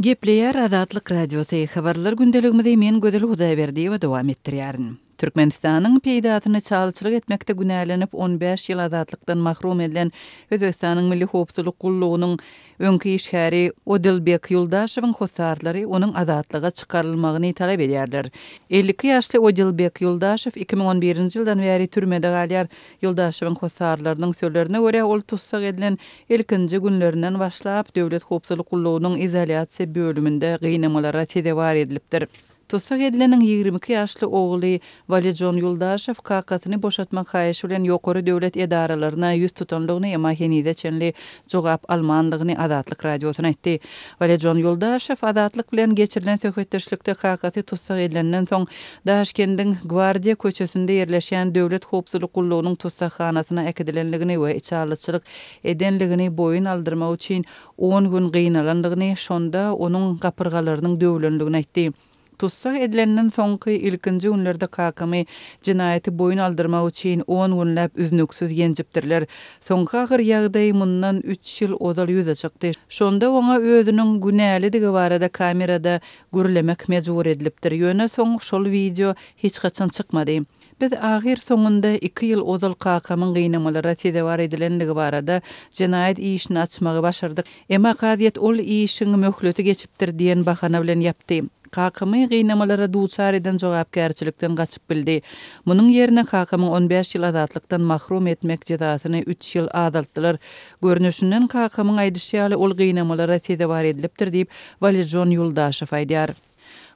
Gepleýär Azatlyk Radiosy, Habarlar gündeligimizi men Gözel Hudaýberdiýewa dowam etdirýärin. Türkmenistanyň peýdasyna çalçylyk etmekde günälenip on bäş ýyl azatlykdan mahrum edilen Özbegistanyň Milli howpsuzlyk gullugynyň öňki işgäri Odilbek Ýuldaşewiň hossarlary onuň azatlyga çykarylmagyny talap edýärler. 52 ýaşly Odilbek Ýuldaşew 2011-nji ýyldan bäri türmede galýar. Ýuldaşewiň hossarlarynyň sözlerine görä, ol tussag edilen ilkinji günlerinden başlap, Döwlet howpsuzlyk gullugynyň izolýasiýa bölüminde gynamalara sezewar edilipdir. Tussag edileniň 22 ýaşly ogly Walijon Ýuldaşew kakasyny boşatmak haýyşy bilen ýokary döwlet edaralaryna ýüz tutandygyny, emma henize çenli jogap almandygyny Azatlyk Radiosyna aýtdy. Walijon Ýuldaşew Azatlyk bilen geçirilen söhbetdeşlikde kakasy tussag edilenden soň, Daşkendiň Gwardiýa köçesinde ýerleşýän Döwlet howpsuzlyk gullugynyň tussaghanasyna äkidilendigini we içalyçylyk edenligini boýun aldyrmak üçin on gün gynalandygyny, şonda onuň gapyrgalarynyň döwlendigini aýtdy. Tussag edilenden soňky ilkinji günlerde kakamy jenaýaty boýun aldyrmak üçin on günläp üznüksiz ýenjipdirler. Soňky agyr ýagdaý mundan üç ýyl ozal ýüze çykdy. Şonda oňa özüniň günälidigi barada kamerada gürlemek mejbur edilipdir. Ýöne soň şol wideo hiç haçan çykmady. Biz ahyrsoňunda iki ýyl ozal kakamyň gynamalara sezewar edilendigi barada jenaýat işini açmagy başardyk. Emma kazyýet ol işiň möhleti geçipdir diýen bahana bilen ýapdy. Kakamy gynamalara duçar eden jogapkärçilikden gaçyp bildi. Munuň ýerine kakamyň on bäş ýyl azatlykdan mahrum etmek jezasyny üç ýyl azaltdylar. Görnüşinden kakamyň aýdyşy ýaly ol gynamalara sezewar edilipdir diýip, Walijon Ýuldaşew aýdýar.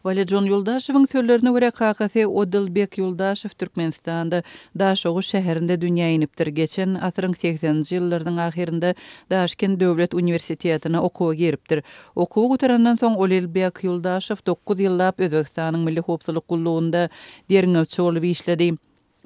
Walijon Ýuldaşewiň sözlerine görä, kakasy Odilbek Ýuldaşew Türkmenistanda, Daşoguz şäherinde dünýä inipdir. Geçen asyryň segseninji ýyllarynyň ahyrynda Daşkent döwlet uniwersitetine okuwa giripdir. Okuwy gutarandan soň Olilbek Ýuldaşew dokuz ýyllap Özbegistanyň Milli howpsuzlyk gullugynda derňewçi bolup işledi.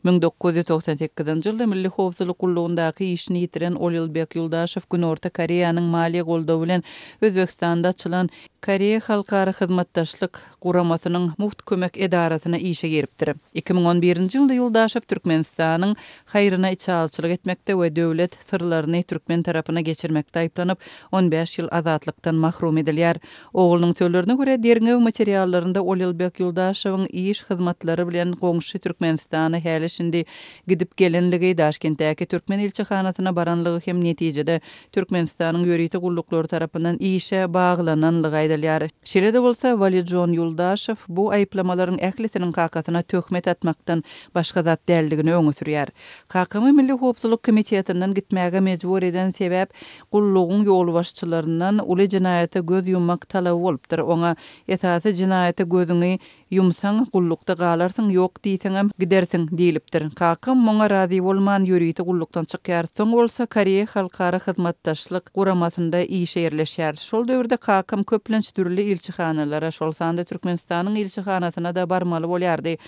1998-nji ýylda Milli howpsuzlyk gullugyndaky işini ýitiren Olilbek Ýuldaşew Günorta Koreýanyň maliýe goldawy bilen Özbegistanda açylan Koreýa halkara hyzmatdaşlyk guramasynyň mugt kömek edarasyna işe giripdir. 2011-nji ýylda Ýuldaşew Türkmenistanyň haýryna içalyçylyk etmekde we döwlet syrlaryny türkmen tarapyna geçirmekde aýyplanyp, on bäş ýyl azatlykdan mahrum edilýär. Oglunyň sözlerine görä, derňew materiallarynda Olilbek Ýuldaşewiň iş hyzmatlary bilen goňşy Türkmenistana häli-şindi gidip gelenligi, Daşkentdäki türkmen ilçihanasyna baranlygy hem netijede Türkmenistanyň ýörite gulluklary tarapyndan işe baglananlygy aýdylýar. Şeýle-de bolsa, Walijon Ýuldaşew bu aýyplamalaryň ählisiniň kakasyna töhmet atmakdan başga zat däldigini öňe sürýär. Kakamy Milli howpsuzlyk komitetinden gitmäge mejbur eden sebäp gullugyň ýolbaşçylaryndan uly jenaýata göz ýummak talaby bolupdyr. Oňa esasy jenaýata gözüňi Ýumsaň, gullukda galarsyň, ýok diýseňem, gidersiň diýlipdir. Kakam muňa razy bolman, ýörite gullukdan çykýar. Soň bolsa Koreýa halkara hyzmatdaşlyk guramasynda işe ýerleşýär. Şol döwürde kakam köplenç dürli ilçihanalara, şol sanda Türkmenistanyň ilçihanasyna-da barmaly bolýardy.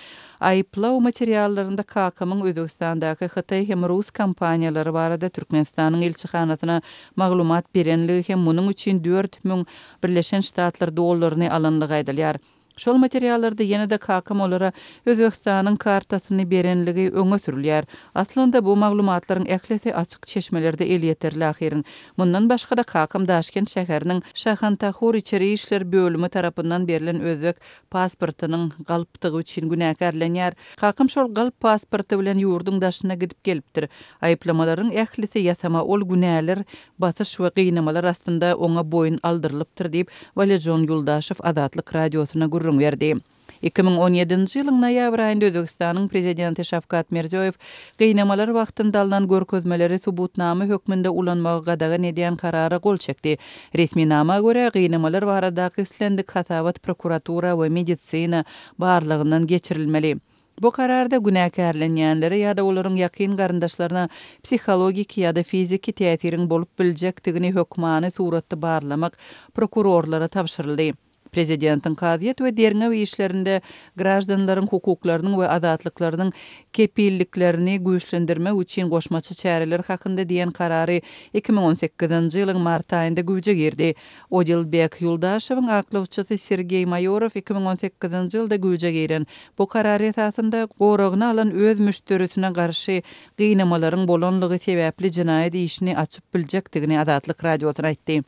Aýyplaw materiallarynda kakamyň Özbegistandaky hytaý hem rus kompaniýalary barada Türkmenistanyň ilçihanasyna maglumat berenligi hem munuň üçin 4000 Birleşen Ştatlar dollaryny alanlygy aýdylýar. Şol materiallarda ýene-de kakam olara Özbegistanyň kartasyny berenligi öňe sürülýär. Aslynda bu maglumatlaryň ählisi açyk çeşmelerde elýeterli ahyryn. Mundan başga-da kakam Daşkent şäheriniň Şahantahur içeri işler bölümi tarapyndan berlen özbek pasportynyň galpdygy üçin günäkärlenýär. Kakam şol galp pasporty bilen ýurduň daşyna gidip gelipdir. Aýyplamalaryň ählisi ýasama ol günäler basyş we gynamalar astynda oňa boýun aldyrylypdyr diýip, Walijon Ýuldaşew Azatlyk Radiosyna gürrüň berdi. 2017-nji ýylyň noýabr aýynda Özbegistanyň prezidenti Şawkat Mirziýoýew gynamalar wagtynda alnan görkezmeleri subutnama hökmünde ulanmagy gadagan edýän karara gol çekdi. Resminama görä, gynamalar baradaky islendik hasabat prokuratura we medisina barlagyndan geçirilmeli. Bu kararda günäkärlenýänlere ýa-da olaryň ýakyn garyndaşlaryna psihologiki ýa-da fiziki täsiriň bolup biljekdigini hökmany suratda barlamak prokurorlara tabşyryldy. Prezidentiň kazyýet we derňew işlerinde graždanlaryň hukuklarynyň we azatlyklarynyň kepilliklerini güýçlendirmek üçin goşmaça çäreler hakynda diýen karary 2018-nji ýylyň mart aýynda güýje girdi. Odilbek Ýuldaşewiň aklawçysy Sergeý Maýorow 2018-nji ýylda güýje giren bu karar esasynda goragyny alan öz müşderisine garşy gynamalaryň bolanlygy sebäpli jenaýat işini açyp biljekdigini Azatlyk Radiosyna aýtdy.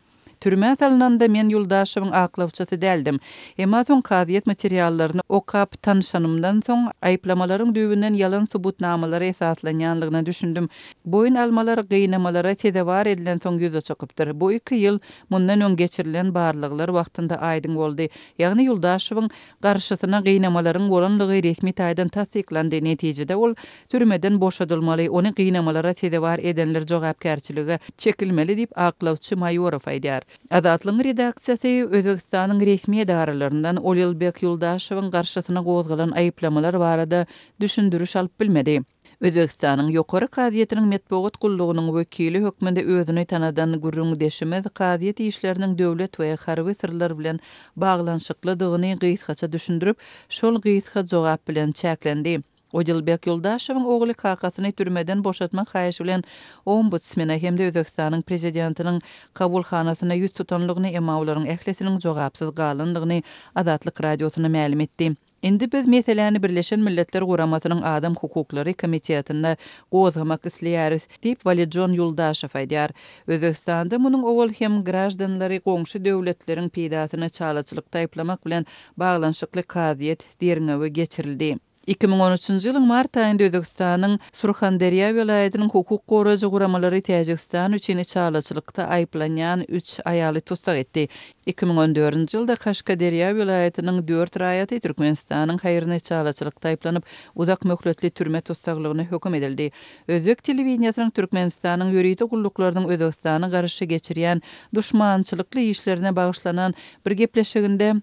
Türmä salnanda men Ýuldaşewiň aklawçysy däldim. Emma soň kazyýet materiallaryny okap tanyşanymdan soň, aýyplamalaryň düýbünden ýalan subutnamalara esaslanýanlygyna düşündim. Boýun almalar gynamalara sezewar edilensoň ýüze çykypdyr. Bu iki ýyl mundan öň geçirilen barlaglar wagtynda aýdyň boldy. Ýagny Ýuldaşewiň garşysyna gynamalaryň bolanlygy resmi taýdan tassyklandy. Netijede ol Türmeden boşadylmaly, ony gynamalara sezewar edenler jogapkärçilige çekilmeli diýip, aklawçy Maýorow aýdýar. Azatlygyň redaksiýasy Özbegistanyň resmi edaralaryndan Olilbek Ýuldaşewiň garşysyna gozgalan aýyplamalar barada düşündiriş alyp bilmedi. Özbegistanyň Ýokary kazyýetiniň metbugat gullugynyň wekili hökmünde özüni tanadan gürrüňdeşimiz kazyýet işleriniň döwlet we harby syrlar bilen baglanyşyklydygyny gysgaça düşündirip, şol gysga jogap bilen çäklendi. Odilbek Ýoldaşewiň ogly kakasyny türmeden boşatmak haýyşy bilen Ombudsmene hem-de Özbegistanyň Prezidentiniň kabulhanasyna ýüz tutanlygyny, emma olaryň ählisiniň jogapsyz galandygyny Azatlyk Radiosyna mälim etdi. Indi biz meseläni Birleşen Milletler Guramasynyň Adam hukuklary komitetinde gozgamak isleýäris, diýip, Walijon Ýuldaşew aýdýar. Özbegistanda munuň owal hem graždanlary goňşy döwletleriň peýdasyna çalaçylykda aýyplamak bilen baglanyşykly kazyýet derňewi geçirildi. 2013-nji ýylyň mart aýynda Özbegistanyň Surhanderýa welaýatynyň hukuk goraýjy guramalary Täjigistan üçin içalyçylykda aýyplanýan üç aýaly tussag etdi. 2014-nji ýylda Kaşkaderýa welaýatynyň dört raýaty Türkmenistanyň haýryna içalyçylykda aýyplanyp, uzak möhletli türme tussaglygyna höküm edildi. Özbek telewideniýesiniň Türkmenistanyň ýörite gulluklarynyň Özbegistana garşy geçirýän duşmançylykly işlerine bagyşlanan bir gepleşiginde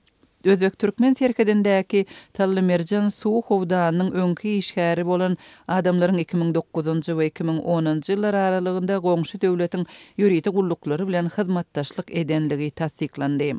Özbek-türkmen serhedindäki Tallymerjen suw howdanynyň öňki işgäri bolan adamlaryň 2009-njy we 2010-njy ýyllar aralygynda goňşy döwletiň ýörite gulluklary bilen hyzmatdaşlyk edenligi tassyklandy.